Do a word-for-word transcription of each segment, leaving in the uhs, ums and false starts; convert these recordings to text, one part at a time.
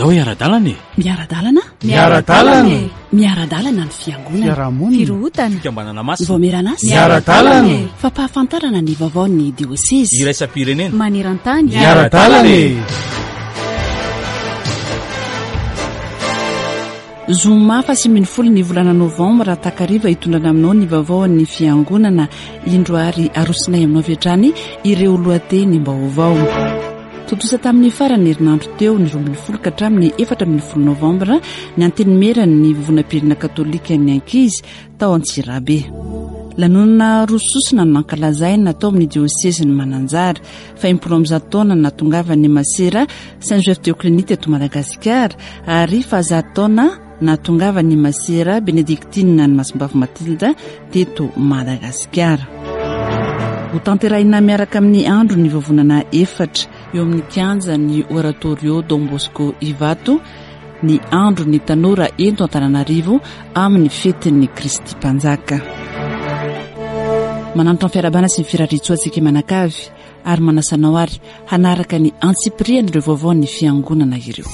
Andao hiara-dalana e! Miara-dalana? Miara-dalana e! Miara-dalana ny fiangonana. Fiarahamonina. Firohotana. Fikambanana masina. Voameran'asa. Miara-dalana e! Fampahafantarana ny vaovaon'ny diosezy. Iraisam-pirenena. Maneran-tany. Miara-dalana e! Zoma faha ambin'ny folo ny volana novambra takariva hitondrana aminao ny vaovaon'ny fiangonana. Indro ary arosinay aminao avy hatrany ireo lohatenim-baovao. Tontosa tamin'ny faran'ny herinandro teo ny roa ambin'ny folo ka hatramin'ny efatra ambin'ny folo novambra ny antenimieran'ny vovonam-pirenena katolika ny ankizy tao Antsirabe. Lanonana roa sosona no nankalazaina tao amin'ny diosezin'i Mananjary. Fahenimpolo amby zato taona nahatongavan'ny masera Saint Joseph de Cluny teto Madagasikara ary fahazato taona nahatongavan'ny masera Benedictine ny Masimbavy Matilda teto Madagasikara. Ho tanterahina miaraka amin'ny andro ny vovonana efatra eo amin'ny kianjan'ny Oratorio Don Bosco Ivato ny andro ny tanora ento Antananarivo amin'ny fetin'ny Kristy Mpanjaka. Manantona ny fiarahabana sy ny firariantsoa antsika manakavy ary manasa anao ary hanaraka ny antsipirian'ireo vaovaon'ny fiangonana ireo.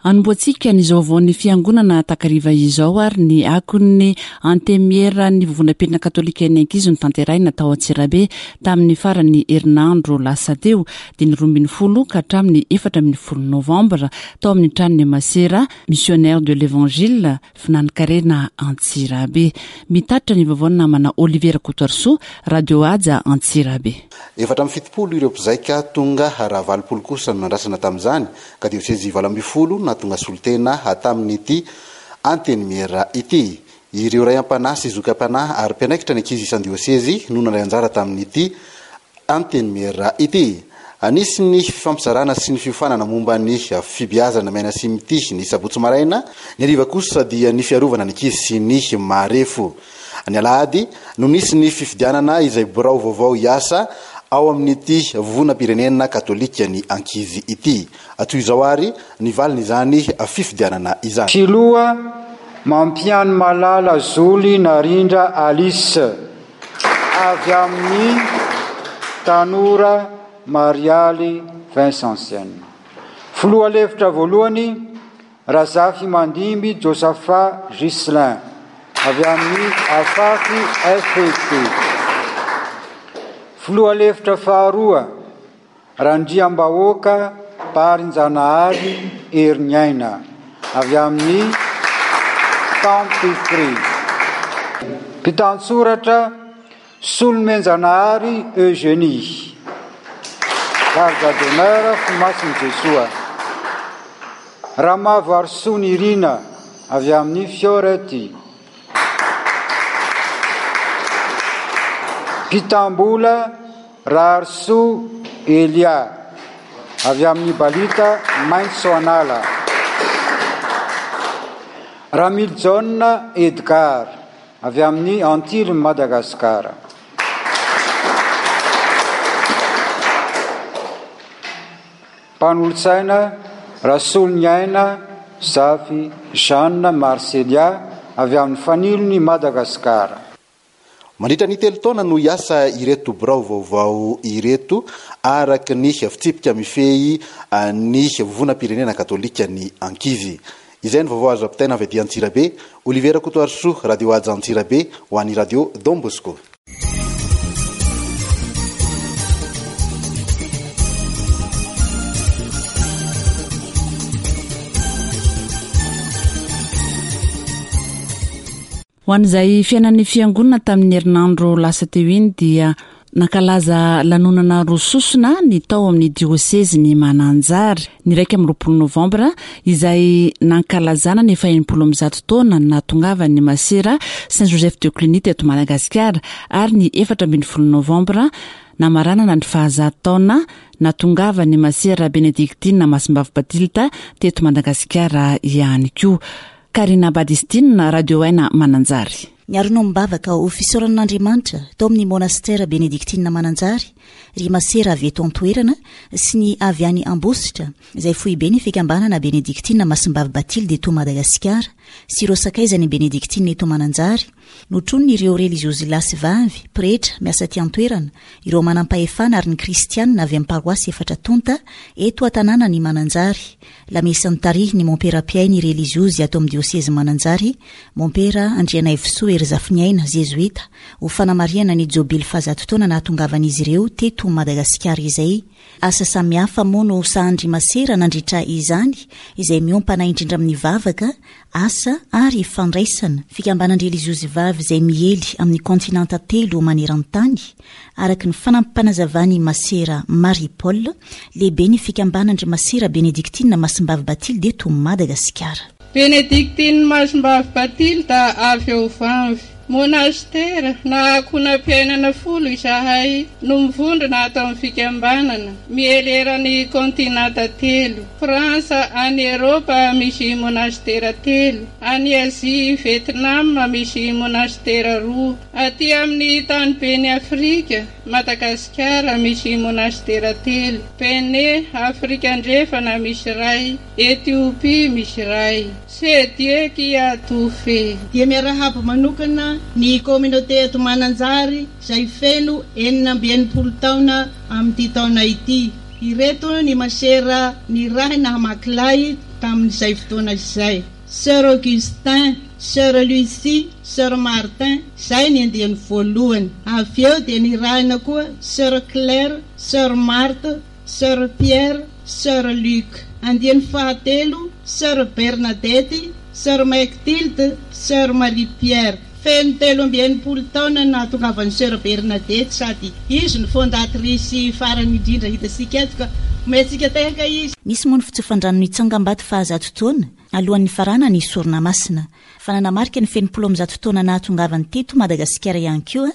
Anombohantsika ny vaovaon'ny fiangonana takariva izao ary ny akon'ny antenimieran'ny vovonam-pirenena katolika ny ankizy no tanterahina tao Antsirabe tamin'ny faran'ny herinandro lasa teo, dia ny roa ambin'ny folo ka hatramin'ny efatra ambin'ny folo novambra tao amin'ny tranon'ny masera Missionnaire de l'Évangile Finankarena Antsirabe. Mitatitra ny vaovaon'ny namana Olivier Rakotoarisoa, Radio Haja Antsirabe. Efatra amby fitopolo ireo mpizaika tonga raha valopolo kosa no nandrasana tamin'izany, ka diosezy valo ambin'ny folo nahatonga solontena tamin'ity antenimiera ity. Ireo ray am-panahy sy zoky am-panahy ary mpiandraikitra ny ankizy isan-diosezy no nandray anjara tamin'ity antenimiera ity. Anisy ny fifampizarana sy ny fiofanana momba ny fibeazana miaina sy mitia ny sabotsy maraina, ny hariva kosa dia ny fiarovana ny ankizy sy ny marefo. Ny alahady no nisy ny fifidianana izay birao vaovao hiasa ao amin'ity vovonam-pirenena katolika ny ankizy ity. Toy izao ary ny valin'izany fifidianana izany. Filoha Mampiany Malala Zoly Narindra Alice avy amin'ny tanora Marialy Vincentienne. Filoha lefitra voalohany Razafy Mandimby Josaphat Ghislain avy amin'ny Afafy F P. Filoha lefitra faharoa Randriambahoaka Barinjanahary Heriniaina avy amin'ny Tampifri. Mpitantsoratra Solomenjanahary Eugénie, garde d'honneur Fomasin'i Jesoa. Ramavoarisoa Nirina avy amin'ny Fiorety. Mpitambola Raharisoa Elia avy amin'ny Balita Maitso Anala. Ramiljaona Edgar avy amin'ny Antily Madagasikara. Mpanolotsaina Rasoloniaina Zafy Jeanne Marcelia avy amin'ny Fanilon'i Madagasikara. Mandritra ny telo taona no hiasa ireto birao vaovao ireto araka ny fitsipika mifehy ny vovonam-pirenena katolika ny ankizy. Izay ny vaovao azo ampitaina avy aty Antsirabe. Olivier Rakotoarisoa, Radio Haja Antsirabe ho an'ny Radio Don Bosco. Ho an'izay fiainan'ny fiangonana tamin'ny herinandro lasa teo iny dia nankalaza lanonana roa sosona ny tao amin'ny diosezin'i Mananjary ny iraika amby roapolo novambra izay nankalazana ny fahenimpolo amby zato taona nahatongavan'ny masera Saint Joseph de Cluny teto Madagasikara ary ny efatra ambin'ny folo novambra namaranana ny fahazato taona nahatongavan'ny masera Benedictine Masimbavy Batilta teto Madagasikara ihany koa. Karina Badistine, Radio Aina Mananjary. Niarona mibavaka ho fisaoran'Andriamanitra tao amin'ny monastera Benedictine Mananjary Ry masera avy eto an-toerana sy ny avy any Ambositra, izay foibe ny fikambanana Benedictine Masimbavy Bathilde eto Madagasikara, sy ireo sakaizany Benedictine eto Mananjary, notroniny ireo reliziozy lahy sy vavy, pretra, miasa aty an-toerana, ireo manam-pahefana ary ny kristianina avy amin'ny paroasy efatra tonta eto an-tanàna ny Mananjary. Lamesa nitarihy ny mompera mpiahy ny reliziozy ato amin'ny diosezy Mananjary, mompera Andrianaivosoa Herizafiniaina, zezoita, ho fanamarihana ny jobily fahazato taona nahatongavan'izy ireo teto Madagasikara izay. Asa samihafa moa no sahandry masera nandritra izany, izay miompana indrindra amin'ny vavaka, asa ary fandraisana. Fikambanan-dreliziozy vavy izay miely amin'ny kontinanta telo maneran-tany, araka ny fanampanazavan'i masera Marie Paul, lehibe ny fikambanan-dry masera Benedictine Masimbavy Bathilde eto Madagasikara. Benedictine Masimbavy Bathilde avy eo Vanvy. Monastera na ankohonam-piainana folo izahay no mivondrona ato amin'ny fikambanana miely eran'ny kontinanta telo. Frantsa any Eropa misy monastera telo, any Azia Vietnam misy monastera roa, aty amin'ny taniben'i Afrika Madagasikara misy monastera telo, Bénin Afrika Andrefana misy iray, Etiopia misy iray. C'est Dieu qui a tout fait. Dia miarahaba manokana ny communauté eto Mananjary izay feno enina amby enimpolo taona amin'ity taona ity. Ireto ny masera nirahina hamaky tamin'izay fotoana izay. Sœur Augustin, Sœur Lucie, Sœur Martin, izay ny andiany voalohany. Avy eo dia nirahina koa Sœur Claire, Sœur Marthe, Sœur Pierre, Sœur Luc. Andiany fahatelo, Sœur Bernadette, Sœur Mechtilde, Sœur Marie-Pierre. Feno telo amby enimpolo taona nahatongavan'ny Sœur Bernadette sady izy no fondatrice farany indrindra hitantsika eto ka omentsika tehaka izy. Nisy moa ny fitsofan-drano nitsangambato fahazato taona alohan'ny farana ny sorona masina. Fa nanamarika ny fenimpolo amby zato taona nahatongavany teto Madagasikara ihany koa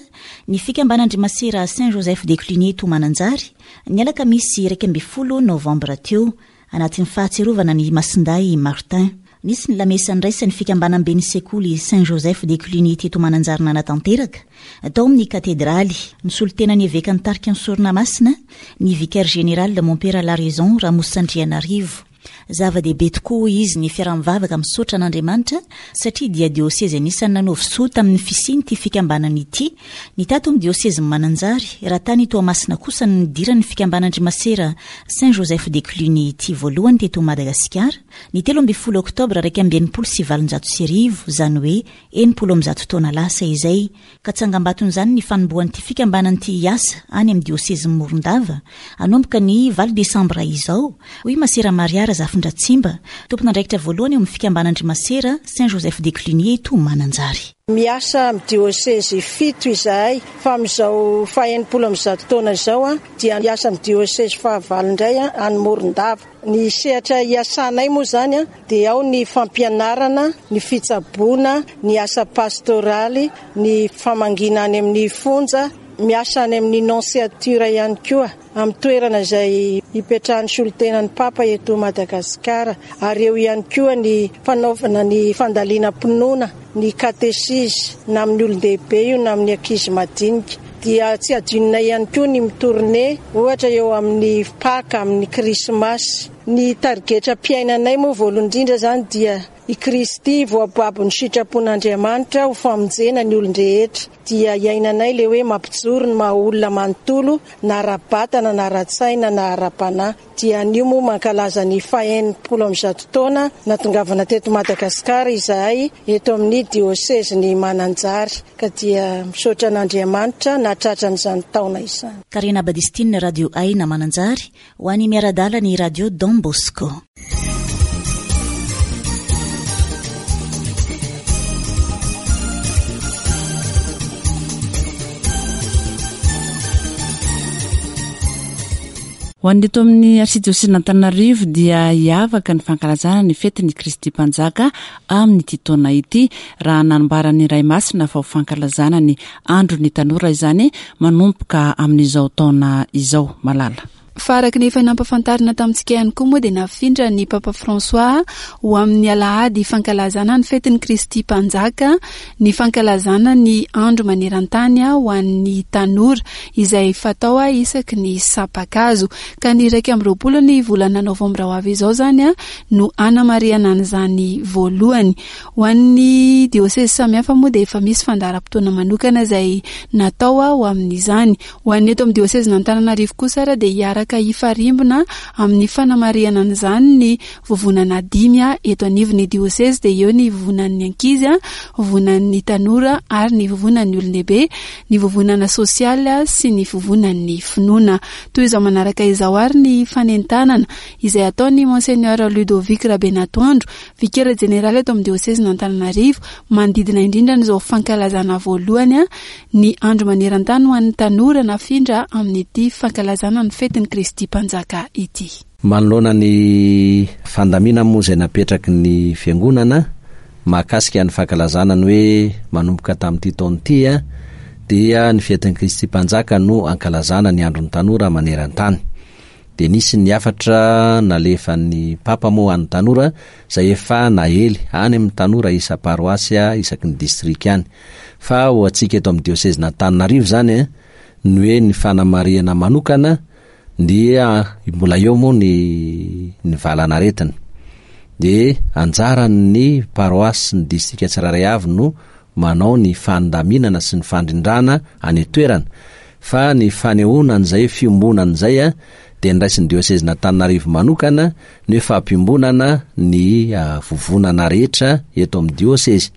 ny fikambanan-dry masera Saint Joseph de Cluny eto Mananjary ny alakamisy iraika ambin'ny folo novambra teo, anatin'ny fahatsiarovana ny Masindahy Martin. Nisy ny lamesa niraisan'ny fikambanam-ben'ny sekoly Saint Joseph de Cluny teto Mananjary nanatanteraka tao amin'ny katedraly. Nisolo tena ny eveka nitarika ny sorona masina ny vicaire général mompera Laraison Ramosandrianarivo. Zava-dehibe tokoa izy ny fiaraha-mivavaka misaotra an'Andriamanitra satria dia diosezy anisan'ny nanaovy soa tamin'ny fisian'ity fikambanana ity. Ny tato amin'ny diosezy Mananjary, raha tany Toamasina kosa no nidiran'ny fikambanan-dry masera Saint Joseph de Cluny ity voalohany teto Madagasikara ny telo ambin'ny folo oktobra iraika amby enimpolo sy valonjato sy arivo, izany hoe enimpolo amby zato taona lasa izay. Ka tsangambaton'izany ny fanombohan'ity fikambanana ity hiasa any amin'ny diosezy Morondava hanomboka ny valo desambra izao, hoy masera Maria Razafindratsimba, tompon'andraikitra voalohany eo amin'ny fikambanan-dry masera Saint Joseph de Cluny eto Mananjary. Miasa amin'ny diosezy fito izahay, fa amin'izao faha-enimpolo amby zato taona izao a dia miasa amin'ny diosezy fahavalo indray any Morondava. Ny sehatra iasanay moa izany a dia ao ny fampianarana, ny fitsaboana, ny asa pastoraly, ny famangiana any amin'ny fonja, miasa any amin'ny nonciature ihany koa, amin'ny toerana izay ipetrahan'ny solontenan'ny Papa eto Madagasikara, ary eo ihany koa ny fanaovana ny fandalinam-pinoana, ny katesizy, na amin'ny olon-dehibe io na amin'ny ankizy madinika. Dia tsy adinona ihany koa ny mitourne, ohatra eo amin'ny Paka, amin'ny Krismasy. Ny tarigetram-piainanay moa voalohany indrindra izany dia i Kristy voababo ny sitrapon'Andriamanitra ho famonjena ny olon-drehetra. Dia iainanay ilay hoe mampijoro ny maha olona manontolo, na ara-batana, na ara-tsaina, na ara-panahy. Dia anio moa mankalaza ny faha-enimpolo amby zato taona nahatongavana teto Madagasikara izahay eto amin'ny diosezin'i Mananjary, ka dia misaotra an'Andriamanitra nahatratra an'izany taona izany. Karina Badistine, Radio Aina Mananjary, ho an'ny miara-dala ny Radio Don Bosco. Ho an'ny eto amin'ny arsidiosezin'Antananarivo dia hiavaka ny fankalazana ny fetin'ny Kristy Mpanjaka amin'ity taona ity, raha nanambaran'ny Ray Masina fa ho fankalazana ny andron'ny tanora izany manomboka amin'izao taona izao. Malala. Fa araka ny efa nampafantarina tamintsika ihany koa moa dia nafindra ny Papa François ho amin'ny alahady fankalazana ny fetin'ny Kristy Mpanjaka, ny fankalazana ny andro maneran-tany ho an'ny tanora izay fatao isaky ny sampakazo. Ka ny iraika amby roapolo ny volana novambra ho avy izao izany no anamarihana an'izany voalohany. Ho an'ny diosezy samihafa moa dia efa misy fandaharam-potoana manokana izay natao ho amin'izany. Ho an'ny eto amin'ny diosezin'Antananarivo kosa ary dia hiaraka hifarimbona amin'ny fanamarihana an'izany ny vovonana dimy eto anivon'ny diosezy, dia eo ny vovonan'ny ankizy, vovonan'ny tanora ary ny vovonan'ny olon-dehibe, ny vovonana sosialy sy ny vovonan'ny finoana. Toy izao manaraka izao ary ny fanentanana izay ataon'ny Monseigneur Ludovic Rabenatoandro, vikera jeneraly eto amin'ny diosezin'Antananarivo, manodidina indrindra an'izao fankalazana voalohany ny andro maneran-tany ho an'ny tanora nafindra amin'ity fankalazana ny fetin'ny Kristy Mpanjaka ity. Manoloana ny fandaminana moa izay napetraky ny fiangonana mahakasika ny fankalazana ny hoe manomboka tamin'ity taona ity dia ny fetin'ny Kristy Mpanjaka no ankalazana ny andron'ny tanora maneran-tany. Dia nisy ny hafatra nalefan'ny Papa moa an'ny tanora izay efa naely any amin'ny tanora isa-paroasy isaky ny distrika any. Fa ho antsika eto amin'ny diosezin'Antananarivo izany ny hoe ny fanamarihana manokana dia mbola eo moa ny ny valanaretina. Dia anjaran'ny paroasy sy ny distrika tsirairay avy no manao ny fandaminana sy ny fandrindrana any an-toerana. Fa ny fanehoana an'izay fiombonana izay dia niraisin'ny diosezin'Antananarivo manokana ny hoe fampiombonana ny vovonana rehetra eto amin'ny diosezy.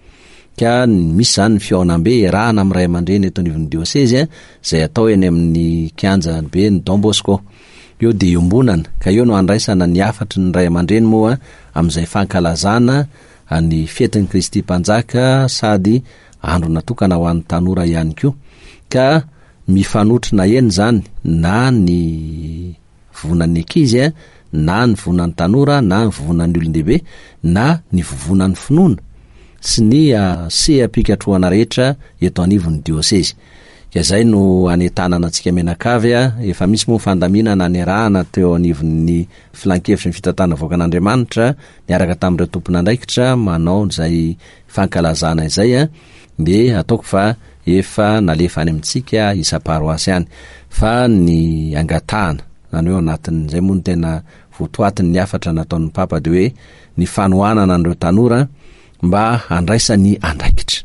Ka misy izany ny fihaonambe iarahana amin'ny ray aman-dreny eto anivon'ny diosezy izay atao eny amin'ny kianja be ny Don Bosco. Eo dia iombonana, ka eo no andraisana ny hafatry ny ray aman-dreny moa amin'izay fankalazana ny fetin'ny Kristy Mpanjaka sady andro natokana ho an'ny tanora ihany koa. Ka mifanotrona eny izany na ny vovonan'ny ankizy, na ny vovonan'ny tanora, na ny vovonan'ny olon-dehibe, na ny vovonan'ny finoana sy ny seha-pikatrohana rehetra eto anivon'ny diosezy. Ka izay no anentanana antsika mianakavy. Efa misy moa fandaminana niarahana teo anivon'ny filankevitry ny fitantanana vahoakan'Andriamanitra niaraka tamin'ireo tompon'andraikitra manao izay fankalazana izay, dia ataoko fa efa nalefa any amintsika isa-paroasy any. Fa ny angatahana, izany hoe ao anatin'izay moa no tena votoatin'ny hafatra nataon'ny Papa, dia hoe ny fanohanana an'ireo tanora mba handraisany andraikitra.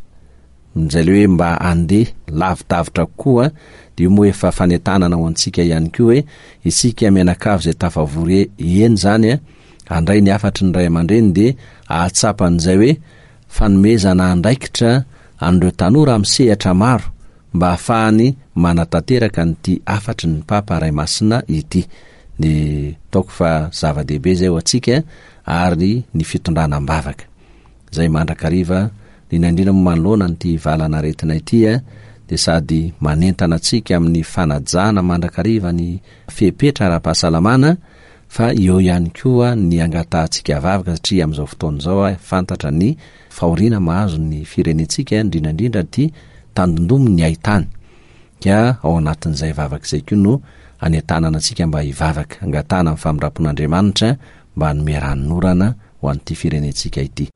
Izay le hoe mba handeha lavidavitra kokoa, dia io moa efa fanentanana ho antsika ihany koa hoe isika mianakavy izay tafavory eny izany handray ny hafatry ny ray aman-dreny dia ahatsapa an'izay hoe fanomezana andraikitra an'ireo tanora amin'ny sehatra maro mba ahafahany manatanteraka an'ity hafatry ny Papa Ray Masina ity. Ny ataoko fa zava-dehibe izay ho antsika ary ny fitondrana am-bavaka izay mandrakariva indrindra indrindra moa manoloana an'ity valanaretina ity dia sady manentana antsika amin'ny fanajana mandrakariva ny fepetra ara-pahasalamana fa eo ihany koa ny angatahantsika vavaka satria amin'izao fotoana izao fantatra ny fahoriana mahazo ny firenentsika indrindra indrindra ity tandindomy ny haitany. Ka ao anatin'izay vavaka izay koa no anentanana antsika mba hivavaka, angatahana amin'ny famindram-pon'Andriamanitra mba hanome ranonorana ho an'ity firenentsika ity.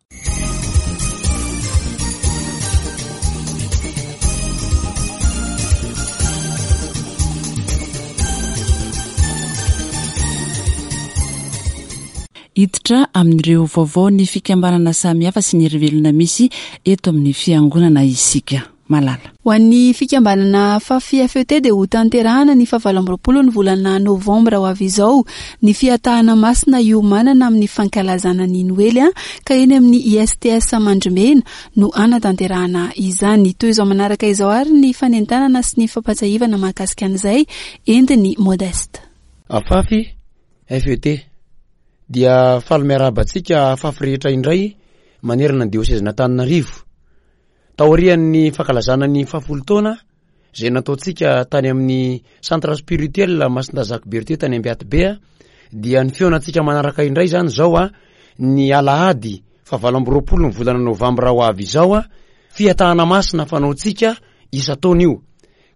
Hiditra amin'ireo vaovao ny fikambanana samihafa sy ny herivelona misy eto amin'ny fiangonana isika. Malala. Ho an'ny fikambanana Fafi F E T dia ho tanterahana ny fahavalo amby roapolo ny volana novambra ho avy izao ny fiatahana masina iomanana amin'ny fankalazana ny Noely, ka eny amin'ny I S T S Mandrimena no anatanterahana izany. Toy izao manaraka izao ary ny fanentanana sy ny fampahatsiahivana mahakasika an'izay entiny Modeste. Fafi F E T dia faly miarahaba antsika Fafy rehetra indray manerana ny diosezin'Antananarivo. Taorian'ny fankalazana ny fahafolo taona izay nataontsika tany amin'ny centre spirituel Masindahy Berthier tany Ambiatibe, dia ny fihaonantsika manaraka indray izany izao a, ny alahady fahavalo amby roapolo ny volana novambra ho avy izao a, fiatahana masina fanaontsika isan-taona io.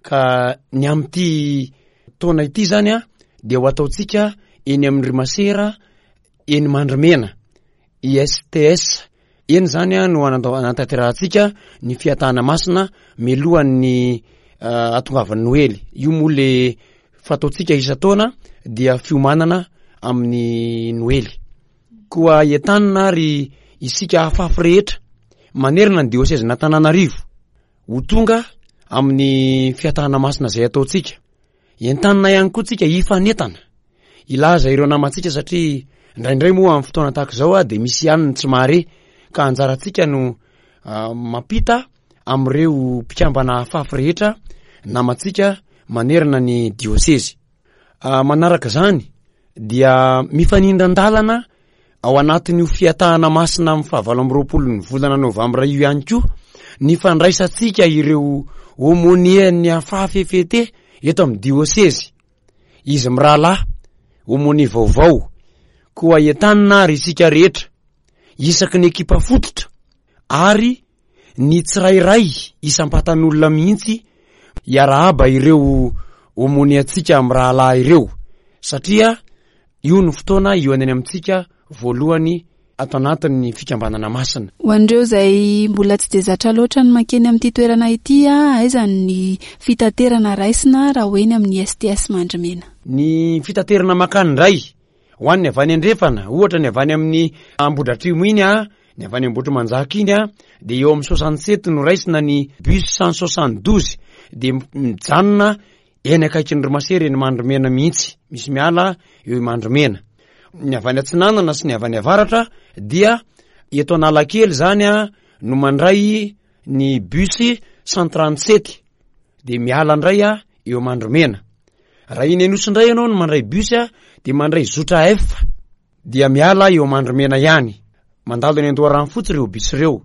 Ka ny amin'ity taona ity izany a, dia ho ataontsika eny amin'ny ry masera eny Mandrimena, I S T S. Eny zany a no anatanterahantsika ny fiatahana masina mialohan'ny ahatongavan'ny Noely. Io moa le fataontsika isan-taona dia fiomanana amin'ny Noely. Koa entanina ary isika afafy rehetra manerana ny diosezin'Antananarivo ho tonga amin'ny fiatahana masina izay ataontsika. Entanina ihany koa tsika hifanentana, hilaza ireo namantsika, satria indraindray moa amin'ny fotoana tahaka izao a de misy ihany ny tsy mahare, ka anjarantsika no mampita am'ireo mpikambana afafy rehetra namantsika manerana ny diosezy. Manaraka zany dia mifanindran-dalana ao anatin'io fiatahana masina amin'ny fahavalo amby roapolo ny volana novambra io ihany koa ny fandraisantsika ireo aumônier-n'ny AFAFY F E T eto amin'ny diosezy, izy mirahalahy aumônier vaovao. Koa entanina ary isika rehetra isaky ny ekipa fototra ary ny tsirairay isam-patan'olona mihitsy hiarahaba ireo aumônier-ntsika mirahalahy ireo, satria io no fotoana io any amintsika voalohany ato anatin'ny fikambanana masina. Ho an'ireo izay mbola tsy de zatra loatra ny mankeny amin'ity toerana ity a, aiza ny fitaterana raisina raha ho eny amin'ny S T S Mandrimena? Ny fitaterana makany indray, ho an'ny avy any andrefana, ohatra ny avy any amin'ny Ambodratrimo iny a, ny avy any Ambohitrimanjaka iny a, de eo amin'ny soixante sept no raisina ny bus cent soixante douze, de mijanona eny akaiky ny ry masera eny Mandrimena mihitsy, misy miala eo Mandrimena. Ny avy any atsinanana sy ny avy any avaratra dia eto Analakely zany a no mandray ny bus cent trente sept, de miala indray a eo Mandrimena. Raha iny Anosy indray ianao no mandray bus a, de mandray zotra F, dia miala eo Mandrimena ihany, mandalo eny Andoharanofotsy ireo bus ireo.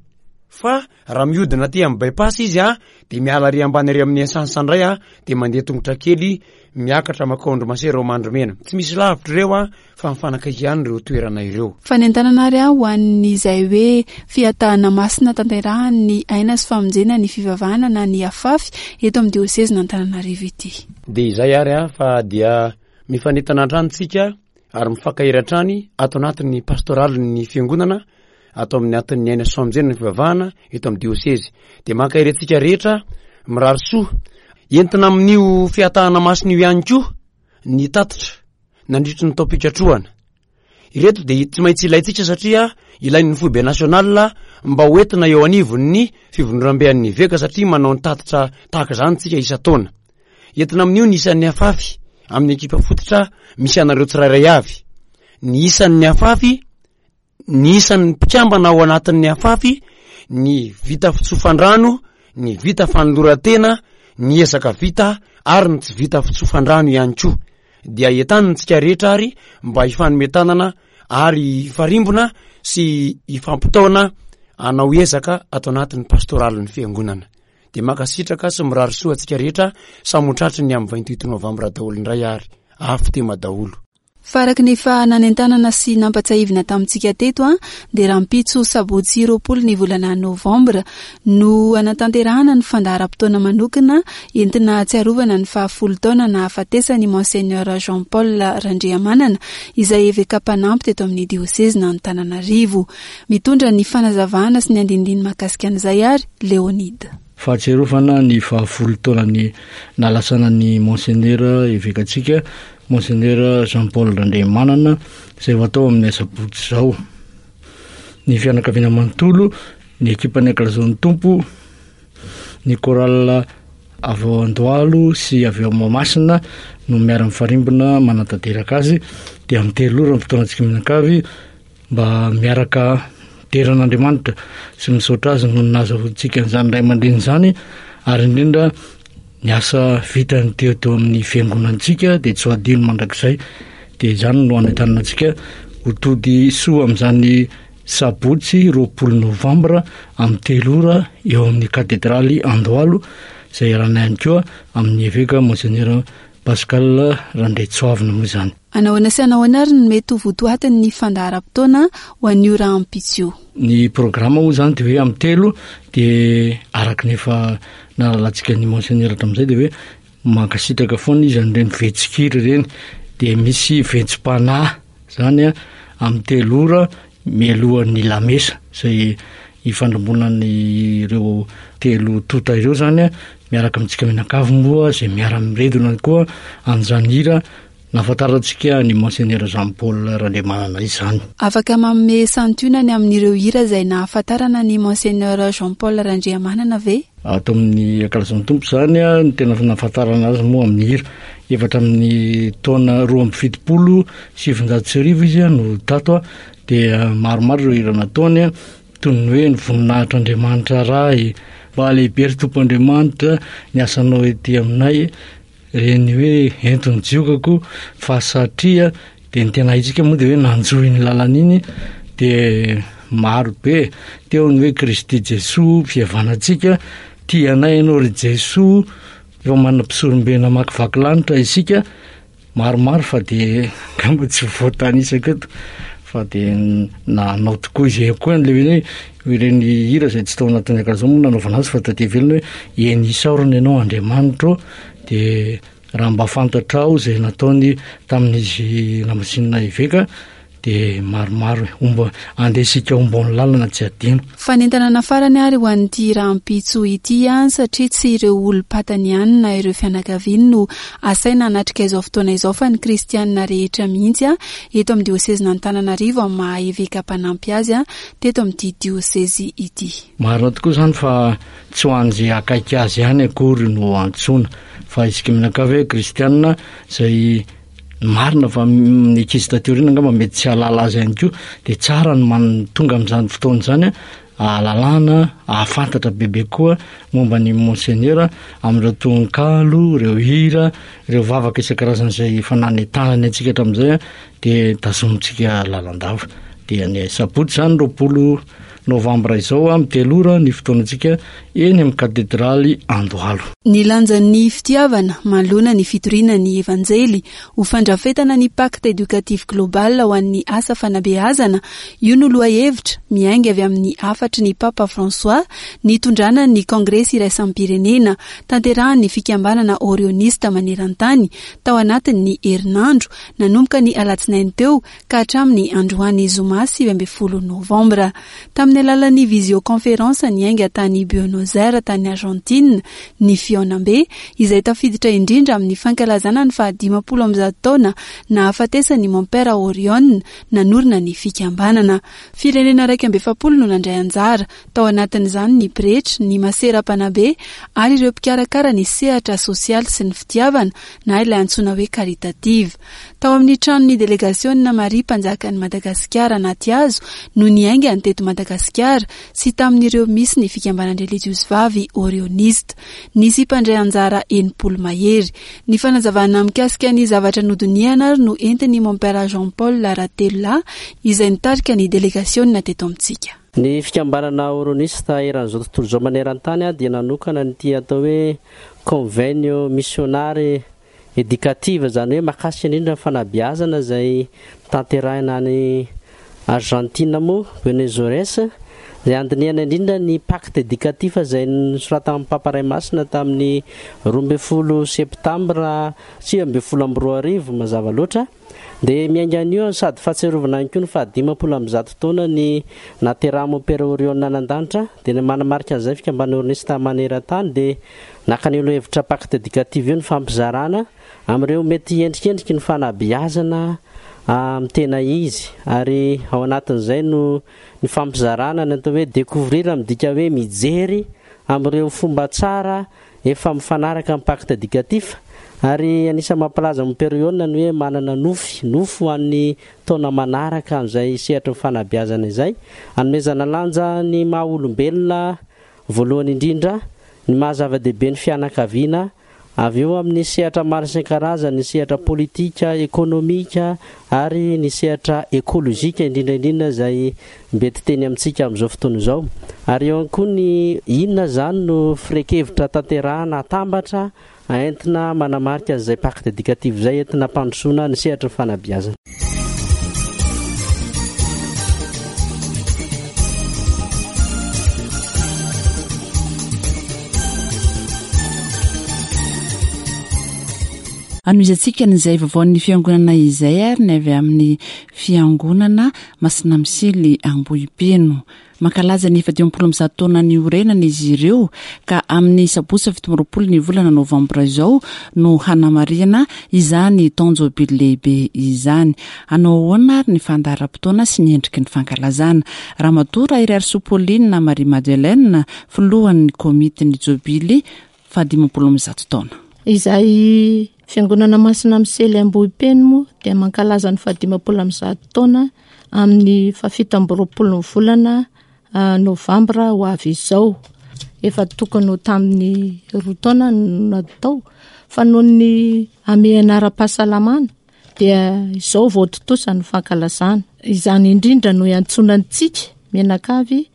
Fa raha mihodina aty amin'ny bypass izy a, de miala ary ambany ary amin'ny essence indray a, de mandeha tongotra kely miakatra makao an-dry masera ao Mandrimena. Tsy misy lavitra ireo a, fa mifanakaiky ihany ireo toerana ireo. Fanentanana ary aho ho an'izay hoe fiatahana masina tanterahany Aina sy Famonjena ny Fivavahana na ny AFAFY eto amin'ny diosezin'Antananarivo ity. De izay ary a, fa dia mifanentana hatrany tsika ary mifankahery hatrany ato anatin'ny pastoralin'ny fiangonana, ato amin'ny atin'ny Aina sy Famonjena ny Fivavahana eto amin'ny diosezy. De mankahery antsika rehetra, mirary soa. Entina amin'io fiatahana masina io ihany koa ny tatitra nandritry ny taom-pikatrohana ireto, de tsy maintsy ilaintsika satria ilain'ny foibe national mba hoentina eo anivon'ny fivondronambean'ny eveka, satria manao ny tatitra tahaka zany tsika isa-taona. Entina amin'io ny isan'ny afafy amin'ny ekipa fototra misy anareo tsirairay avy, ny isan'ny afafy, ny isan'ny mpikambana ao anatin'ny afafy, ny vita fitsofan-drano, ny vita fanoloran-tena, ny ezaka vita ary ny tsy vita fitsofan-drano ihany koa. Dia entanina rehetra ary mba hifanometanana ary hifarimbona sy hifampitaona anao ezaka ato anatin'ny pastoralin'ny fiangonana. De mankasitraka sy mirary soa antsika rehetra, samy ho tratry ny amin'ny vingt-huit novambra daholo indray ary afo tema daholo. Fa araka ny efa nanentanana sy nampatsiahivina tamintsika teto a, dia rahampitso sabotsy roapolo ny volana novambra no anatanterahana ny fandaharam-potoana manokana entina tsiarovana ny fahafolo taona nahafatesany Monseigneur Jean Paul Randriamanana, izay eveka mpanampy teto amin'ny diosezin'Antananarivo. Mitondra ny fanazavana sy ny andinindiny mahakasika an'izay ary Leonide. Fahatsiarovana ny fahafolo taonany nalasana ny Monseigneur evekantsika, Monseigneur Jean Paul Randriamanana, izay ho atao amin'ny asabotsy izao. Ny fianakaviana manontolo, ny ekipan'ny Ankalazao ny Tompo, ny chorale avy ao Andohalo sy avy ao Mahamasina no miara-mifarimbona manatanteraka azy. Dia amin'ny telo ora ny fotoanantsika mianakavy mba miaraka midera an'Andriamanitra sy misaotra azy noho ny nahazahoantsika an'izany ray aman-dreny zany, ary indrindra ny asa vitany teo teo amin'ny fiangonantsika dia tsy ho adino mandrakizay. Dia zany no anentanana antsika ho tody soa amin'izany sabotsy roapolo novambra amin'ny telo ora eo amin'ny katedraly Andohalo, izay iarahana ihany koa amin'ny eveka Monseigneur Pascal Randriatsoavina moa izany. Anahoana sy anahoana ary ny mety ho votoatin'ny fandaharam-potoana ho an'io rahampitso io? Ny programa moa zany de hoe amin'ny telo, de araka ny efa nahalalantsika ny Monseigneur hatramin'izay, de hoe mankasitraka foana izy an'ireny vetsin-kira ireny. dia misy ventsom-panahy izany amin'ny telo ora mialohan'ny lamesa izay ifandrombonan'ireo telo tota ireo izany miaraka amintsika mianakavy moa izay miara-miredona koa amin'izany hira nahafantarantsika ny Monseigneur Jean Paul Randriamanana izany. Afaka manome santionany amin'ireo hira izay nahafantarana ny Monseigneur Jean Paul Randriamanana ve? Ato amin'ny Ankalazan'ny Tompo izany ny tena nahafantarana azy moa amin'ny hira. Efatra amin'ny taona roa amby fitopolo sivinjato sy arivo izy no tato, dia maromaro ireo hira nataony, toy ny hoe ny voninahitr'Andriamanitra Ray, mba lehibe ry Tompo Andriamanitra, ny asanao ety aminay, ireny hoe ento ny jiokako fa satria dia ny tena haintsika moa dia hoe nanjohy ny lalana iny, dia maro be teo ny hoe Kristy Jesoa fihavanantsika, tia anay ianao ry Jesoa, efa manana mpisorombe namakivaky lanitra isika, maromaro fa dia angamba tsy voatanisako eto fa dia nanao tokoa izy ihany koa an'ilay hoe ireny hira izay tsy tao anatin'ny akanjo moa nanaovana azy fa taty ivelany hoe eny isaorana ianao Andriamanitro, dia raha mba fantatrao izay nataony tamin'izy namasinina eveka dia maromaro homba andesika homba ny lalana tsy adino. Fanentanana farany ary ho an'ity rahampitso ity ihany, satria tsy ireo olom-patany ihany na ireo fianakaviany no asaina hanatrika izao fotoana izao fa ny kristianina rehetra mihitsy a, eto amin'ny diosezin'Antananarivo amin'ny maha eveka mpanampy azy a, teto amin'ity diosezy ity. Marina tokoa izany fa tsy ho an'izay akaiky azy ihany akory no antsoina, fa isika mianakavy hoe kristianina izay marina fa ny ankizy taty aoriana angamba mety tsy hahalala azy ihany koa, dia tsara ny man-, tonga amin'izany fotoana izany ahalalana, ahafantatra bebe koa momba ny Monseigneur amin'ireo tononkalo, ireo hira, ireo vavaka isan-karazany izay efa nanentanany antsika hatramin'izay, dia tazomintsika lalandava. Dia ny sabotsy izany roapolo novambra izao amin'ny telo ora ny fotoanantsika eny amin'ny katedraly Andohalo. Ny lanjan'ny fitiavana manoloana ny fitoriana ny Evanjely ho fandrafetana ny pacte éducatif global ho an'ny asa fanabeazana, io no lohahevitra miainga avy amin'ny hafatry ny Papa François nitondrana ny Kongresy iraisam-pirenena tanterahan'ny fikambanana orionista maneran-tany tao anatin'ny herinandro nanomboka ny alatsinainy teo ka hatramin'ny androany zoma sivy ambin'ny folo novambra. Tamin'ny alalan'ny visioconférence niainga tany Buenos Aires tany Argentine ny fihaonambe izay tafiditra indrindra amin'ny fankalazana ny fahadimampolo amby zato taona nahafatesan'ny Mompera Orione nanorina ny fikambanana. Firenena iraika amby efapolo no nandray anjara, tao anatin'izany ny pretra, ny masera mpanabe ary ireo mpikarakara ny sehatra sosialy sy ny fitiavana na ilay antsoina hoe caritative. Tao amin'ny tranon'ny delegasiona Maria Mpanjakan'i Madagasikara anaty hazo no niainga ny teto Madagasikara sy tamin'ireo misy ny fikambanan-drelijiozy vavy orionista. Nisy mpandray anjara enimpolo mahery. Ny fanazavana mikasika ny zavatra nodinihana ary no entin'ny Mompera Jean Paul Ratelolahy izay nitarika ny delegasiona teto amintsika. Ny fikambanana orionista eran'izao tontolo izao maneran-tany dia nanokana nyity atao hoe convenio missionary éducative, izany hoe mahakasika indrindra ny fanabeazana izay tanterahina any Argentine moa, Buenos Aires, izay andinihana indrindra ny pacte éducatif izay nosoratan'ny Papa Ray Masina tamin'ny roa ambin'ny folo septambra sivy ambin'ny folo amby roa arivo mazava loatra. Dia miainga an'io sady fahatsiarovana ihany koa ny fahadimampolo amby zato taona ny naterahan'i Mompera Orione any an-danitra, dia ny manamarika an'izay fikambanana orionista maneran-tany dia naka an'io hevitra pacte éducatif io ny fampizarana amin'ireo mety endrikendriky ny fanabeazana amin'ny tena izy, ary ao anatin'izay no ny fampizarana ny atao hoe découvrir midika hoe mijery amin'ireo fomba tsara efa mifanaraka amin'ny pacte éducatif. Ary anisan'ny mampilaza Mompera Orione ny hoe manana nofy, nofy ho an'ny taona manaraka amin'izay sehatry ny fanabeazana izay, anomezana lanja ny maha olombelona voalohany indrindra, ny maha zava-dehibe ny fianakaviana, avy eo amin'ny sehatra maro isan-karazany, ny sehatra politika, ekonomika ary ny sehatra ekolojika indrindra indrindra izay mety teny amintsika amin'izao fotoana izao. Ary eo ihany koa ny inona izany no firekevitra tanterahana atambatra entina manamarika an'izay pacte éducatif izay entina ampandrosoana ny sehatry ny fanabeazana. Anohizantsika an'izay vaovaon'ny fiangonana izay ary ny avy amin'ny fiangonana Masina Misily Ambohipeno. Mankalaza ny fahadimampolo amby zato taona niorenana izy ireo ka amin'ny sabotsy fito amby roapolo ny volana novambra izao no hanamarihana izany taon-jobily lehibe izany. Hanao ahoana ary ny fandaharam-potoana sy ny endriky ny fankalazana? Ramatoa Raheriarisoa Pauline Marie Madeleine, filohan'ny komitin'ny jobily fahadimampolo amby zato taona. Izay fiangonana Masina Misely Ambohipeno moa dia mankalaza ny fahadimampolo amby zato taona amin'ny fahafito amby roapolo ny volana novambra ho avy izao. Efa tokony ho tamin'ny roa taona no natao, fa noho ny hamehana ara-pahasalamana dia izao vao tontosa ny fankalazana. Izany indrindra no iantsoana antsika mianakavy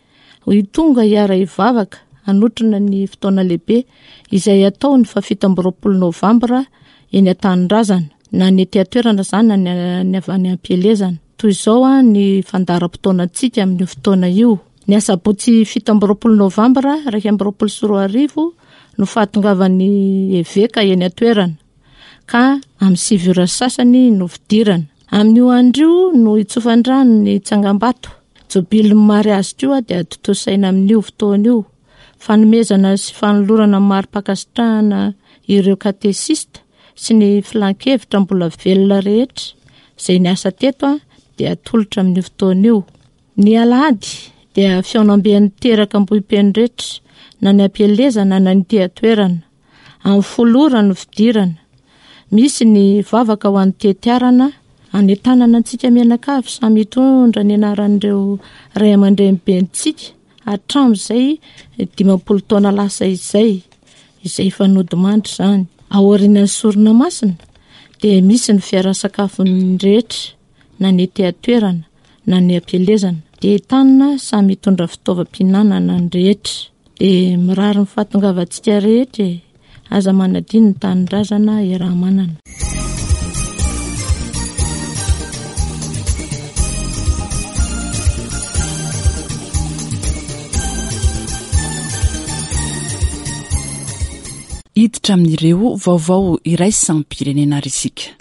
ho tonga hiara-hivavaka hanotrona ny fotoana lehibe izay atao ny fahafito amby roapolo novambra eny an-tanindrazana, na ny ety an-toerana izany na ny avy any am-pielezana. Toy izao a ny fandaharam-potoanantsika amin'io fotoana io. Ny asabotsy fito amby roapolo novambra iraika amby roapolo sy roa arivo no fahatongavan'ny eveka eny an-toerana, ka amin'ny sivy ora sasany no fidirana. Amin'io andro io no hitsofan-drano ny tsangambato. Jobilin'ny mariazy koa dia tontosaina amin'io fotoana io. Fanomezana sy fanolorana mari-pankasitrahana ireo katesista sy ny filan-kevitra mbola velona rehetra izay niasa teto a dia atolotra amin'io fotoana io. Ny alahady dia fihaonamben'ny teraka Ambohipeno rehetra, na ny am-pielezana na ny ety an-toerana. Amin'ny folo ora no fidirana. Misy ny vavaka ho an'ny tetiarana, anentanana antsika mianakavy samy hitondra ny anaran'ireo ray aman-drenibentsika hatramin'izay dimampolo taona lasa izay, izay efa nodimandry izany. Aorian'ny sorona masina dia misy ny fiaraha-sakafon'ny rehetra, na ny ety an-toerana na ny am-pielezana. Dia entanina samy hitondra fitaovam-pihinanana ny rehetra. Dia mirary ny fahatongavantsika rehetra e. Aza manadino ny tanindrazana iaraha-manana. Hiditra amin'ireo vaovao iraisam-pirenena ary isika.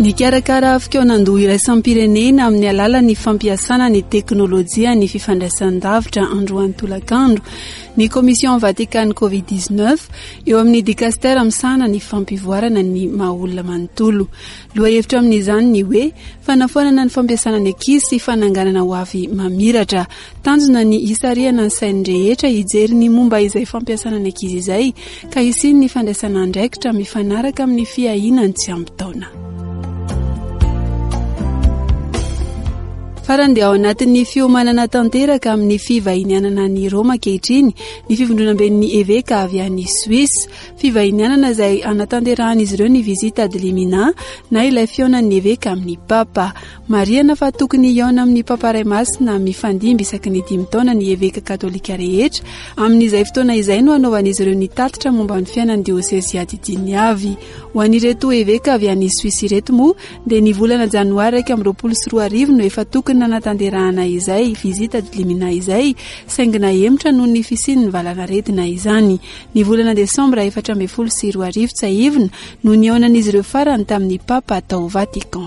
Nikarakara fikaonandoha iraisam-pirenena amin'ny alalan'ny fampiasana ny teknôlôjia ny fifandraisan-davitra androany tolakandro ny Commission Vatican Covid dix-neuf eo amin'ny dikastera misahana ny fampivoarana ny maha olona manontolo. Lohahevitra amin'izany ny hoe fanafoanana ny fampiasana ny ankizy sy fananganana ho avy mamiratra. Tanjona ny hisarihana ny sain'ny rehetra hijery ny momba izay fampiasana ny ankizy izay ka hisian'ny fandraisana andraikitra mifanaraka amin'ny fiahiana ny tsy ampy taona. Farany dia ao anatin'ny fiomanana tanteraka amin'ny fivahinianana any Roma ankehitriny ny fivondronamben'ny eveka avy any Suisse. Fivahinianana izay anatanterahan'izy ireo ny visite ad limina na ilay fihaonan'ny eveka amin'ny papa. Marihana fa tokony hihaona amin'ny papa ray masina mifandimby isaky ny dimy taona ny eveka katolika rehetra. Amin'izay fotoana izay no hanaovan'izy ireo ny tatitra momba ny fiainan'ny diôsezy adidiny avy. Ho an'ireto eveka avy any Suisse ireto moa dia ny volana janoary iraika amby roapolo sy roa arivo no efa tokony nanatanterahana izay visite ad limina izay, saingy nahemotra noho ny fisian'ny valanaretina izany. Ny volana desambra efatra ambin'ny folo sy roa arivo tsiahivina no nihaonan'izy ireo farany tamin'ny papa tao Vatican.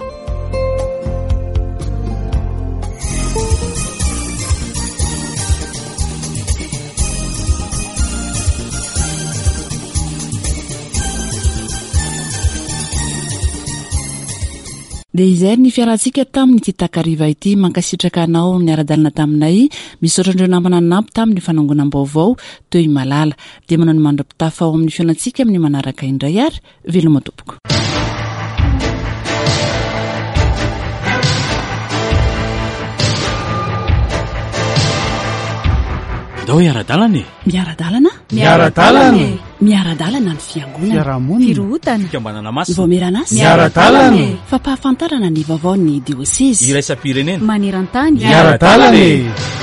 Dia izay ny fiarantsika tamin'ity takariva ity. Mankasitraka anao niara-dalana taminay. Misaotra an'ireo namana nanampy tamin'ny fanangonam-baovao teo i Malala. Dia manao ny mandra-pitafa ao amin'ny fihaonantsika amin'ny manaraka indray ary veloma tompoko. Ndao hiara-dalana e. Miara-dalana? Miara-dalana e. Miara-dalana ny fiangonana. Fiarahamonina. Firohotana. Fikambanana masina. Vaomierana asa. Miara-dalana e. Fampahafantarana ny vaovaon'ny diosezy. Iraisam-pirenena. Maneran-tany. Miara-dalana e.